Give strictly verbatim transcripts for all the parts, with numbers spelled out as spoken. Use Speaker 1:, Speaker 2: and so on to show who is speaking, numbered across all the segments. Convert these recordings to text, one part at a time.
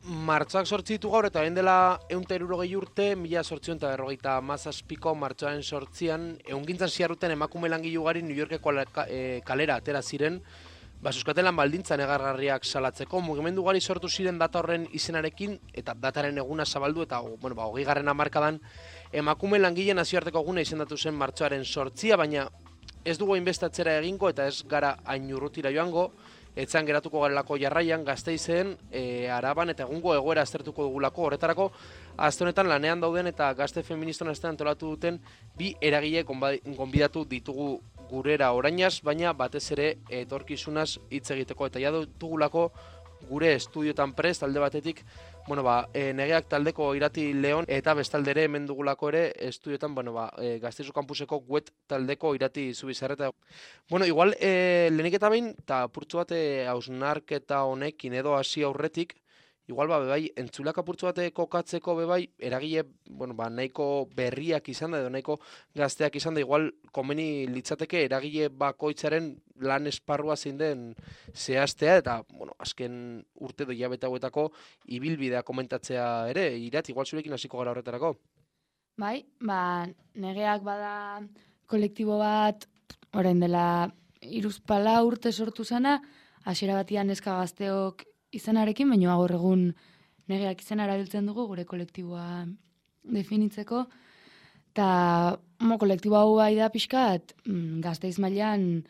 Speaker 1: Martxoak sortzi ditu gaur eta orain dela ehun eta hirurogei urte, mila zortziehun eta berrogeita hamazazpiko martxoaren sortzian, ehungintzan ziarruten emakume langilu ugari New Yorkeko e, kalera atera ziren, ba, euskatelan baldintza negargarriak salatzeko, mugimendu ugari sortu ziren data horren izenarekin, eta dataren eguna zabaldu, eta bueno, ba, hogei garren hamarkadan emakume langile nazioarteko eguna izendatu zen martxoaren sortzia, baina ez dugu hainbeste egingo eta ez gara hain urrutira joango, etzan geratuko garelako jarraian Gasteizen, e, Araban eta egungo egoera aztertuko dugulako. Horretarako, azte honetan lanean dauden eta gazte feministan astean antolatu duten bi eragile gonbidatu ditugu gurera orainaz, baina batez ere etorkizunaz hitz egiteko. Eta ja dutugulako gure estudiotan prest, alde batetik, bueno, ba, e, negeak taldeko irati Leon eta bestaldere hemen dugulako ere estudiotan, bueno, ba, e, Gasteizu kampuseko web taldeko irati Zubizarreta. Bueno, igual, e, lehenik eta behin, eta purtsu bat hausnarketa honekin edo hasi aurretik, igual, ba, bebai, entzulak apurtzu bate kokatzeko bebai, eragile, bueno, ba, nahiko berriak izan da, edo nahiko gazteak izan da, igual, komeni litzateke eragile bakoitzaren lan esparrua zein den zehaztea, eta, bueno, azken urte doi hilabete hauetako ibilbidea komentatzea ere, Irat, igual zurekin hasiko gara horretarako.
Speaker 2: Bai, ba, negeak bada kolektibo bat, orain dela hiruzpala urte sortu zana, hasiera batian neska gazteok izenarekin, baina gaur egun negeak izena erabiltzen dugu gure kolektiboa definitzeko. Eta mo, kolektibo hau bai da pixkat, mm, Gasteiz mailan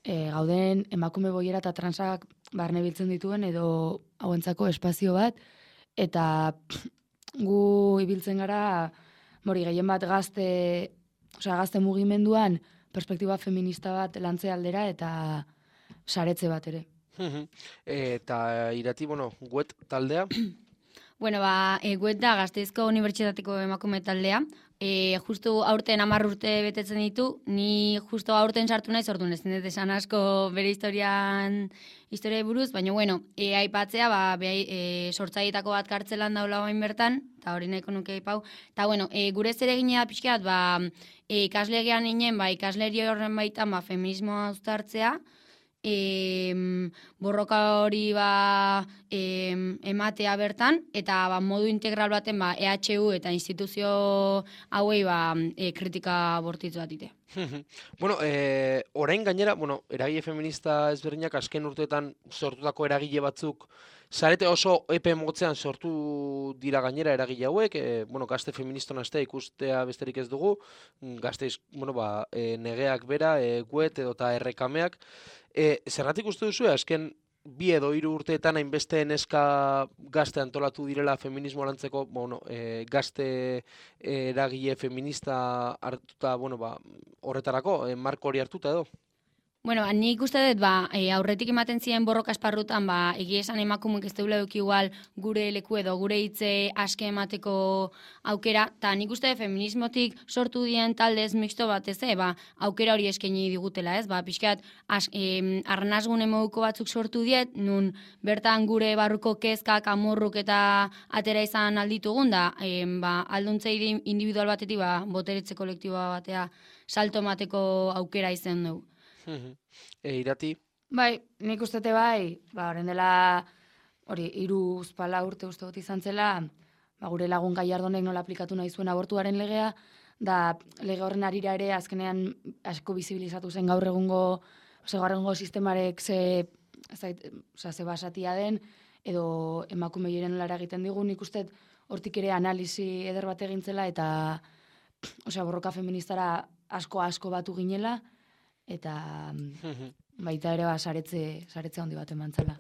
Speaker 2: e, gauden emakume boiera eta transak barne biltzen dituen edo hauentzako espazio bat. Eta pff, gu ibiltzen gara, mori gehien bat gazte, osea, gazte mugimenduan perspektiba feminista bat lantze aldera eta saretze bat ere.
Speaker 1: Eta Irati, bueno, guet taldea?
Speaker 3: Bueno, ba, e, guet da Gasteizko Unibertsitateko emakume taldea. E, justu aurten hamar urte betetzen ditu, ni justu aurten sartu nahi sortu ez dut esan asko bere historian historia buruz, baina bueno, e, aipatzea, ba, behai, e, sortzaietako bat kartzelan daula bain bertan, eta hori nahiko nuke aipau. Eta bueno, e, gure zereginea pixkeat, ba, e, ikaslegean inen, ba, ikasleri horren baitan, ba, feminismoa uztartzea, E, borroka hori ba, e, ematea bertan, eta ba, modu integral baten ba, E H U eta instituzio hauei ba, e, kritika bortitzu bat ite.
Speaker 1: Bueno, e, orain gainera, bueno, eragile feminista ezberdinak azken urteetan sortutako eragile batzuk zarete oso epe motzean sortu dira gainera eragile hauek, e, bueno, gazte feministon astea ikustea besterik ez dugu, gazteiz, bueno, ba, e, negeak bera, e, guet edo eta errekameak. E, zergatik uste duzu, azken bi edo hiru urteetan hainbeste neska gazte antolatu direla feminismo lantzeko, bueno, e, gazte eragile feminista hartuta, bueno, ba, horretarako, e, marko hori hartuta edo?
Speaker 3: Bueno, nik uste dut, ba, e, aurretik ematen ziren borroka esparrutan, ba, egia esan emakumeek ez deula eduki igual gure leku edo gure hitze aske emateko aukera, eta nik uste dut feminismotik sortu dien taldez mixto bat ez, ba, aukera hori eskaini digutela, ez? Ba, pixkat, e, arnazgune moduko batzuk sortu diet, nun bertan gure barruko kezkak, amorruk eta atera izan alditugun, da, e, ba, alduntzei individual batetik, ba, boteretze kolektiboa batea salto emateko aukera izan dugu.
Speaker 1: E, Irati?
Speaker 2: Bai, nik ustete bai, ba, horren dela, hori, hiru uzpala urte uste dut izan zela, ba, gure lagun Gallardonek nola aplikatu nahi zuen abortuaren legea, da lege horren arira ere azkenean asko bizibilizatu zen gaur egungo, ose, gaur egungo sistemarek ze, zait, oza, ze basatia den, edo emakume jiren lara egiten digu, nik uste hortik ere analisi eder bat egintzela, eta osea, borroka feministara asko asko batu ginela, eta baita ere ba, saretze, saretze handi bat eman zela.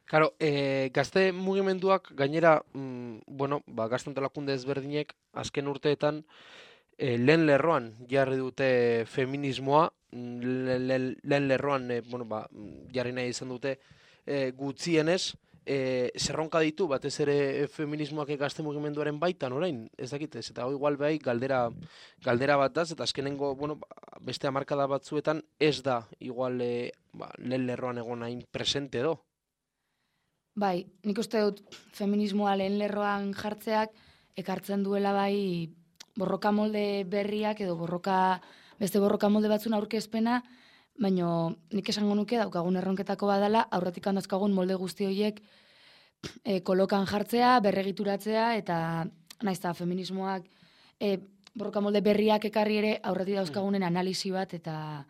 Speaker 1: Claro, e, gazte mugimenduak gainera, mm, bueno, ba, gazte antolakunde ezberdinek azken urteetan e, lehen lerroan jarri dute feminismoa, lehen le, lerroan e, bueno, ba, jarri nahi izan dute e, gutxienez, E, zerronka ditu, batez ere feminismoak gazte mugimenduaren baitan orain, ez dakit ez, eta hoi igual behai galdera, galdera bat daz, eta azkenengo, bueno, beste hamarkada batzuetan ez da, igual e, ba, lehen lerroan egon hain presente edo.
Speaker 2: Bai, nik uste dut feminismoa lehen lerroan jartzeak ekartzen duela bai borroka molde berriak edo borroka, beste borroka molde batzun aurkezpena, baina nik esango nuke daukagun erronketako badala, aurretik handazkagun molde guzti horiek e, kolokan jartzea, berregituratzea, eta naiz eta feminismoak e, borroka molde berriak ekarri ere aurretik dauzkagunen analisi bat, eta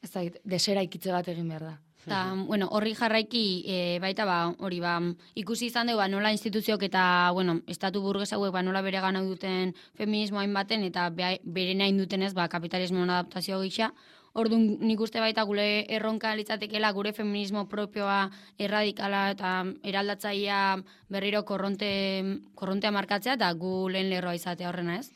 Speaker 2: ez da, desera ikitze bat egin behar da.
Speaker 3: Ta, bueno, horri jarraiki e, baita ba, hori ba, ikusi izan dugu ba, nola instituzioak eta, bueno, estatu burges hauek ba, nola bere gana duten feminismo hainbaten eta be, bere nahi dutenez ba, kapitalismoan adaptazio gisa. Orduan nik uste baita gure erronka litzatekeela gure feminismo propioa erradikala eta eraldatzaia berriro korronte, korrontea markatzea eta gu lehen lerroa izatea horrena ez.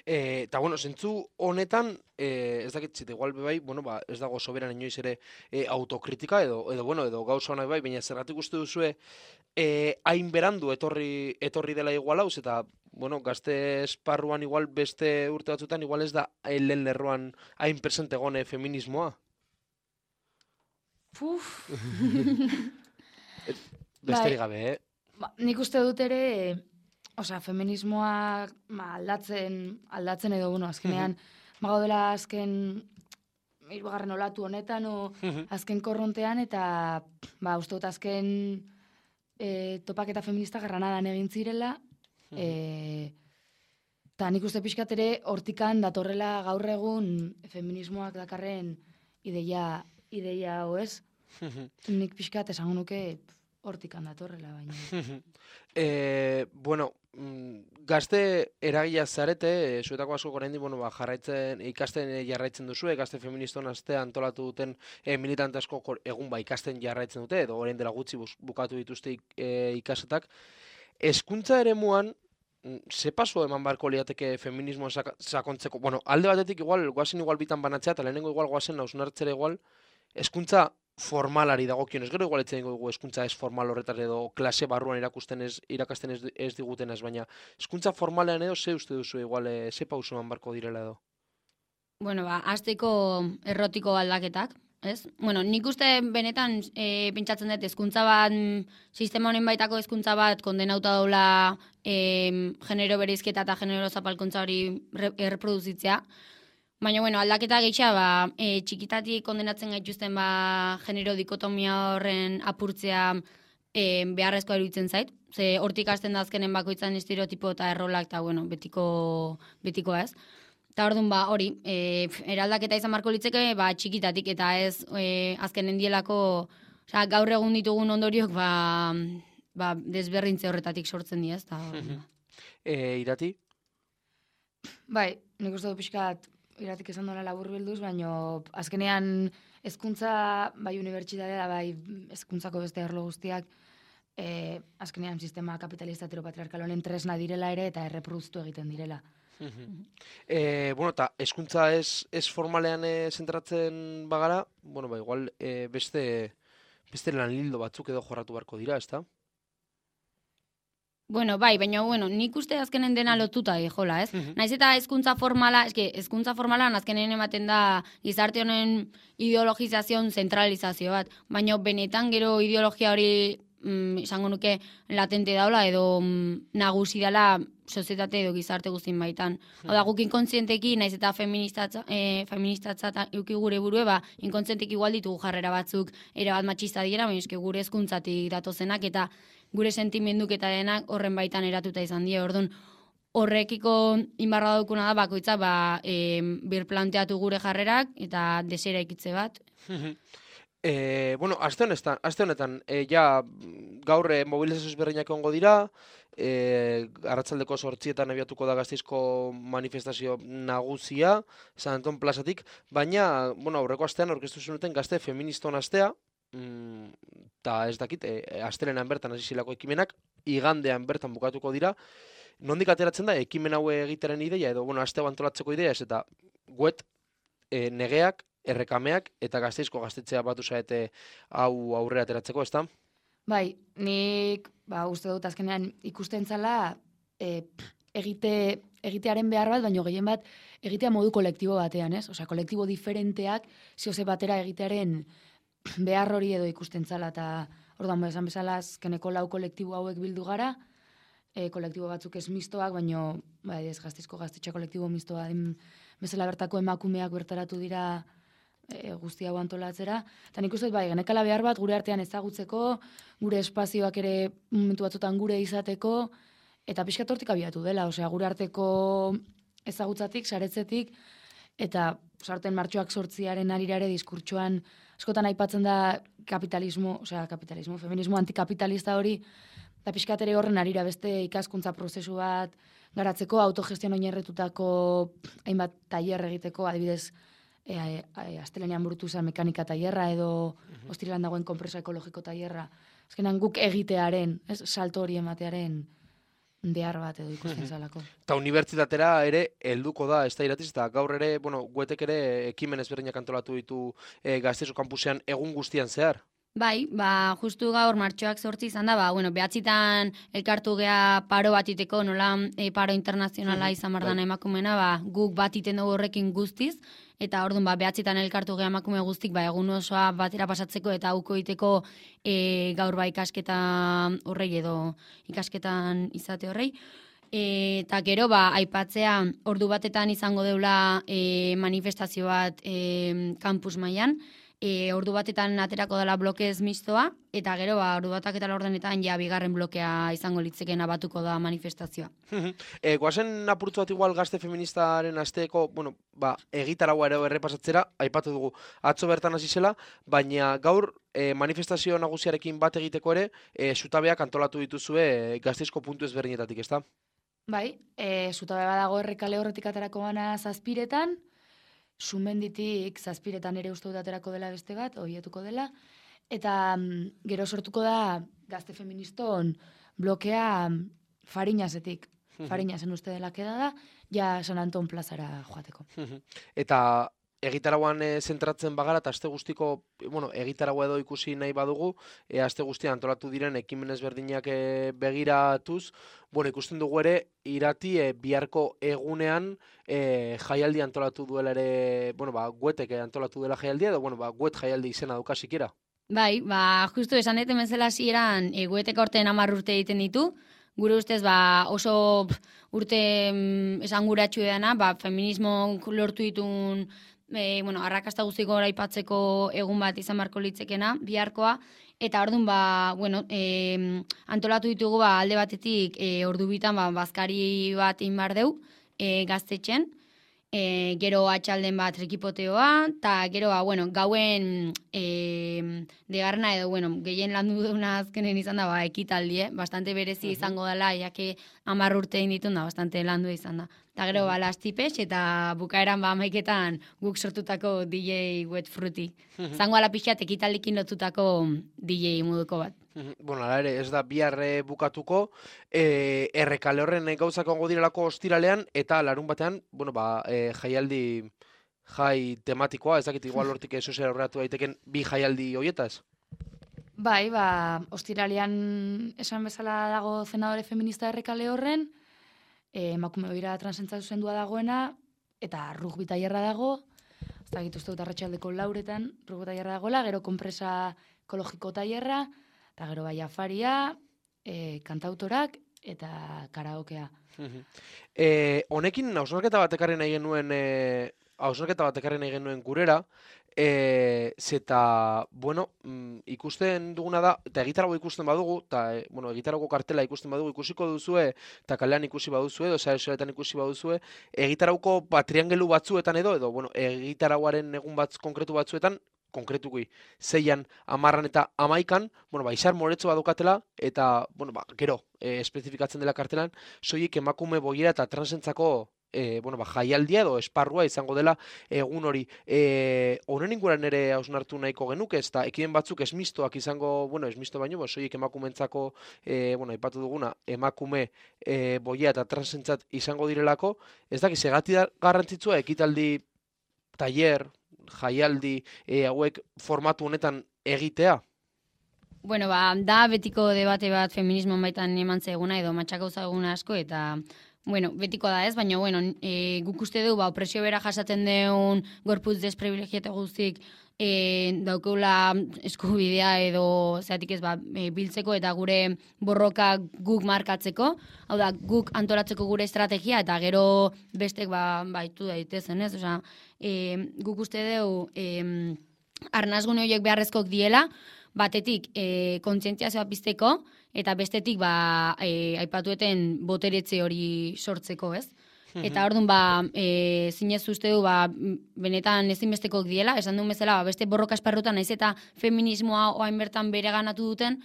Speaker 1: Eta, bueno, zentzu honetan, eh, ez dakit zite, igual bai, bueno, ba, ez dago soberan inoiz ere eh, autokritika edo, edo, bueno, edo gauza honak bai, baina zergatik uste duzue eh, hain berandu etorri, etorri dela igual hauz, eta, bueno, gazte esparruan igual beste urte batzutan, igual ez da lehen lerroan hain presente gone feminismoa.
Speaker 2: Puf!
Speaker 1: Besterik gabe, eh?
Speaker 2: Ba, nik uste dut ere, osea, feminismoa ma, aldatzen, aldatzen edo, bueno, azkenean, magaudela azken hirugarren olatu honetan, o azken korrontean, eta, ba, uste dut azken e, topaketa feminista garranadan egin zirela, e, eta nik uste pixkat ere hortikan datorrela gaur egun feminismoak dakarren ideia, ideia hoez, nik pixkat esango nuke hortikan datorrela, baina.
Speaker 1: e, bueno, gazte eragila zarete, e, zuetako asko oraindik, bueno, ba, jarraitzen, ikasten jarraitzen duzu, gazte feministon astea antolatu duten e, militante asko egun ba ikasten jarraitzen dute, edo orain dela gutxi bukatu dituzte e, ikasetak. Hezkuntza eremuan, ze paso eman barko liateke feminismoa sakontzeko? Bueno, alde batetik igual, guazen igual bitan banatzea, eta lehenengo igual guazen hausnartzera igual, hezkuntza formalari dagokionez, gero igual etzen dugu hezkuntza ez formal horretar edo klase barruan irakusten ez, irakasten ez, ez digutenez, baina hezkuntza formalean edo ze uste duzu igual, e, ze pausuan barko direla edo?
Speaker 3: Bueno, ba, hasteko errotiko aldaketak, ez? Bueno, nik uste benetan e, pentsatzen dut hezkuntza bat, sistema honen baitako hezkuntza bat kondenauta daula e, genero bereizketa eta genero zapalkuntza hori erreproduzitzea. Baina, bueno, aldaketa gehitxa, ba, e, txikitatik kondenatzen gaituzten ba, genero dikotomia horren apurtzea e, beharrezkoa iruditzen zait. Ze hortik hasten da azkenen bakoitzan estereotipo eta errolak, eta, bueno, betiko, betikoa ez. Eta orduan, ba, hori, e, eraldaketa izan marko litzeke, ba, txikitatik, eta ez e, azkenen dielako, oza, gaur egun ditugun ondoriok, ba, ba, desberrintze horretatik sortzen diaz. Ta,
Speaker 1: e, irati?
Speaker 2: Bai, nik uste du pixkat, iratik esan dola labur bilduz, baina azkenean hezkuntza bai unibertsitatea, bai hezkuntzako beste arlo guztiak, eh, azkenean sistema kapitalista heteropatriarkal honen tresna direla ere eta erreproduztu egiten direla.
Speaker 1: e, bueno, eta hezkuntza ez, ez formalean e, zentratzen bagara, bueno, ba, igual e, beste, beste lan lildo batzuk edo jorratu beharko dira, ezta?
Speaker 3: Bueno, bai, baina, bueno, nik uste azkenen dena lotuta jola, ez? Naiz eta hezkuntza formala, eske, hezkuntza formalan azkenen ematen da gizarte honen ideologizazion zentralizazio bat, baina benetan gero ideologia hori mm, izango nuke latente daula edo mm, nagusi dela sozietate edo gizarte guztien baitan. Hau da, guk inkontzienteki, naiz eta feministatza, e, feministatza euki gure burue, ba, inkontzienteki igual ditugu jarrera batzuk erabat matxista dira, baina eske gure hezkuntzatik datozenak eta gure sentimenduk eta denak horren baitan eratuta izan die. Orduan, horrekiko inbarra daukuna da bakoitza ba, e, birplanteatu gure jarrerak eta desera ikitze bat.
Speaker 1: e, bueno, aste honetan, aste honetan e, ja gaur e, mobilizazioz berreinak egongo dira, e, arratsaldeko zortzietan abiatuko da Gasteizko manifestazio nagusia, San Anton plazatik, baina, bueno, aurreko astean aurkeztu zenuten gazte feministon astea, eta mm, ez dakit, e, astelenan bertan hasi zilako ekimenak, igandean bertan bukatuko dira. Nondik ateratzen da, ekimen hau egiteren ideia, edo, bueno, aste hau antolatzeko ideia ez, eta guet, e, negeak, errekameak, eta Gasteizko gaztetzea batu zaete hau aurrera ateratzeko, ez da?
Speaker 2: Bai, nik, ba, uste dut azkenean ikusten zala, e, egite, egitearen behar bat, baina gehien bat, egitea modu kolektibo batean, ez? Osea, kolektibo diferenteak, zioze batera egitearen behar hori edo ikusten zala, eta orduan esan bezala azkeneko lau kolektibo hauek bildu gara, e, kolektibo batzuk ez mistoak, baina bai, ez Gasteizko gaztetxe kolektibo mistoa den bezala bertako emakumeak bertaratu dira e, guzti hau antolatzera. Eta nik uste, bai, genekala behar bat gure artean ezagutzeko, gure espazioak ere momentu batzutan gure izateko, eta pixkat hortik abiatu dela, osea, gure arteko ezagutzatik, saretzetik, eta sarten martxoak sortziaren arirare diskurtsoan askotan aipatzen da kapitalismo, osea, kapitalismo, feminismo antikapitalista hori, eta pixkat ere horren arira beste ikaskuntza prozesu bat garatzeko, autogestion oinarritutako hainbat tailer egiteko, adibidez, e, e, astelenean burutu zen mekanika tailerra edo uh-huh. Ostiralan dagoen konpresa ekologiko tailerra. Azkenan guk egitearen, ez, salto hori ematearen behar bat edo ikusten zalako.
Speaker 1: Eta unibertsitatera ere helduko da, ez da iratiz, eta gaur ere, bueno, guetek ere ekimen ezberdinak antolatu ditu e, Gasteiz kampusean egun guztian zehar.
Speaker 3: Bai, ba, justu gaur martxoak sortzi izan da, ba, bueno, behatzitan elkartu gea paro bat iteko, nola e, paro internazionala izan bardana emakumena, ba, guk bat iten dugu horrekin guztiz, eta orduan ba, behatzitan elkartu gea emakume guztik, ba, egun osoa batera pasatzeko eta auko iteko e, gaur ba ikasketa horrei edo ikasketan izate horrei. E, eta gero, ba, aipatzea ordu batetan izango deula e, manifestazio bat e, kampus mailan, E, ordu batetan aterako dela blokez mistoa, eta gero, ba, ordu batak eta laurdenetan ja bigarren blokea izango litzeken abatuko da manifestazioa.
Speaker 1: e, Guazen apurtzu bat igual gazte feministaren asteeko, bueno, ba, egitaragua ere errepasatzera, aipatu dugu atzo bertan hasi zela, baina gaur e, manifestazio nagusiarekin bat egiteko ere, e, zutabeak antolatu dituzue e, Gasteizko puntu ezberdinetatik, ezta?
Speaker 2: Bai, e, zutabe badago errekale horretik aterako gana zazpiretan, Sumenditik zazpiretan ere uste dut aterako dela beste bat, horietuko dela, eta mm, gero sortuko da gazte feministon blokea Fariñasetik. Fariñasen uste dela keda da, ja San Anton plazara joateko.
Speaker 1: Eta egitaragoan e, zentratzen bagara, eta aste guztiko, bueno, egitaragoa edo ikusi nahi badugu, e, aste guztian antolatu diren ekimen ezberdinak e, begiratuz, bueno, ikusten dugu ere, irati e, biharko egunean e, jaialdi antolatu duela ere, bueno, ba, guetek antolatu dela jaialdia, edo, bueno, ba, guet jaialdi izena duka sikera.
Speaker 3: Bai, ba, justu esan deten bezala hasieran e, guetek aurten hamar urte egiten ditu, gure ustez, ba, oso urte mm, esanguratsu edana, ba, feminismo lortu ditun E, bueno, arrakasta guztiko aipatzeko egun bat izan barko litzekena, biharkoa, eta orduan, ba, bueno, e, antolatu ditugu ba, alde batetik e, ordu bitan ba, bazkari bat inbar deu e, gaztetxen, e, gero atxalden bat trikipoteoa, eta gero, ba, bueno, gauen e, degarna edo, bueno, gehien landu duna azkenen izan da, ba, ekitaldi, eh? Bastante berezi izango dela, jake hamar urte egin ditun da, bastante landu izan da. Eta gero, ba, lastipes, eta bukaeran ba, maiketan guk sortutako D J Wet Fruity. Zango ala pixat, ekitaldikin lotutako D J moduko bat.
Speaker 1: Bueno, ala ere, ez da bihar bukatuko, e, errekale horren gauzak ongo direlako ostiralean, eta larun batean, bueno, ba, e, jaialdi jai tematikoa, ez dakit igual hortik sozial horreatu daiteken bi jaialdi hoietaz?
Speaker 2: Bai, ba, ostiralean esan bezala dago zenadore feminista errekale horren, E, emakume behira transentzatu zendua dagoena, eta rugby tailerra dago, ez da gitu dut arratsaldeko lauretan, rugby tailerra dagoela, gero konpresa ekologiko tailerra, eta gero bai afaria, e, kantautorak, eta karaokea.
Speaker 1: e, honekin, hausnarketa bat ekarri nahi genuen, e, hausnarketa bat ekarri nahi genuen gurera, E, zeta, bueno, mm, ikusten duguna da, eta egitarago ikusten badugu, eta, e, bueno, egitarago kartela ikusten badugu, ikusiko duzue, eta kalean ikusi baduzue, edo sare sozialetan ikusi baduzue, egitarauko ba, triangelu batzuetan edo, edo, bueno, egitaragoaren egun batz konkretu batzuetan, konkretukui, zeian, amarran eta amaikan, bueno, ba, izar moretzo badukatela, eta, bueno, ba, gero, e, espezifikatzen dela kartelan, soilik emakume boiera eta transentzako E, bueno, ba, jaialdia edo esparrua izango dela egun hori. E, honen inguran ere hausnartu nahiko genuke, ez da, ekimen batzuk esmistoak izango, bueno, esmisto baino, bo, soiek emakumentzako, e, bueno, aipatu duguna, emakume e, boia eta transentzat izango direlako, ez da, segati garrantzitsua ekitaldi, tailer, jaialdi, e, hauek formatu honetan egitea?
Speaker 3: Bueno, ba, da betiko debate bat feminismo baitan eman zeguna edo matxakauza eguna asko, eta bueno, betiko da ez, baina, bueno, e, guk uste du, ba, opresio bera jasaten deun gorputz desprivilegiate guztik e, daukeula eskubidea edo, zeatik ez, ba, e, biltzeko eta gure borroka guk markatzeko, hau da, guk antolatzeko gure estrategia eta gero bestek, ba, baitu daitezen, ez? Osea, e, guk uste dugu, e, arnazgune horiek beharrezkoak diela, batetik e, kontzientziazioa pizteko, eta bestetik ba, e, aipatueten boteretze hori sortzeko, ez? Eta orduan, ba, e, zinez uste du, ba, benetan ezinbestekok diela, esan duen bezala, ba, beste borroka esparrutan, naiz eta feminismoa oain bertan bere ganatu duten,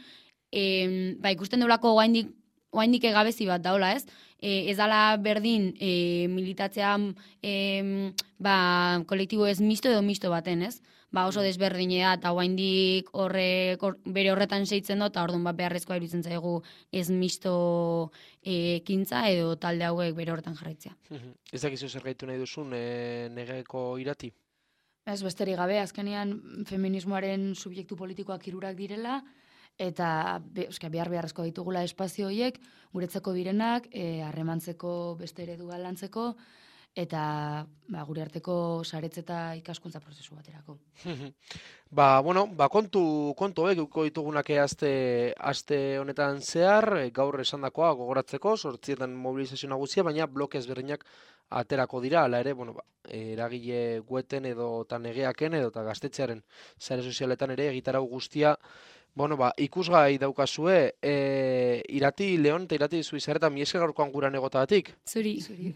Speaker 3: e, ba, ikusten duelako oaindik, oaindik egabezi bat daula, ez? E, ez dala berdin e, militatzea e, ba, kolektibo ez misto edo misto baten, ez? Ba, oso desberdinea eta oaindik horre, or, bere horretan seitzen dut, eta orduan ba, beharrezkoa iruditzen zaigu ez misto e, ekintza edo talde hauek bere horretan jarraitzea.
Speaker 1: Ez dakizu zer gaitu nahi duzun e, negeko irati?
Speaker 2: Ez besterik gabe, azkenean feminismoaren subjektu politikoak hirurak direla, eta be, euska, behar beharrezko ditugula espazio horiek, guretzako direnak, e, harremantzeko beste eredua lantzeko, eta ba, gure arteko saretze eta ikaskuntza prozesu baterako.
Speaker 1: Ba, bueno, ba, kontu, kontu hauek euko ditugunak aste, aste honetan zehar, gaur esandakoa gogoratzeko, sortzietan mobilizazio nagusia, baina bloke ezberdinak aterako dira, ala ere, bueno, ba, eragile gueten edo eta negeaken edo eta gaztetxearen sare sozialetan ere egitarau guztia, bueno, ba, ikusgai daukazue, e, irati Leon eta irati Zuizarretan mi esker gaurkoan guran egotagatik.
Speaker 3: Zuri.
Speaker 2: Zuri.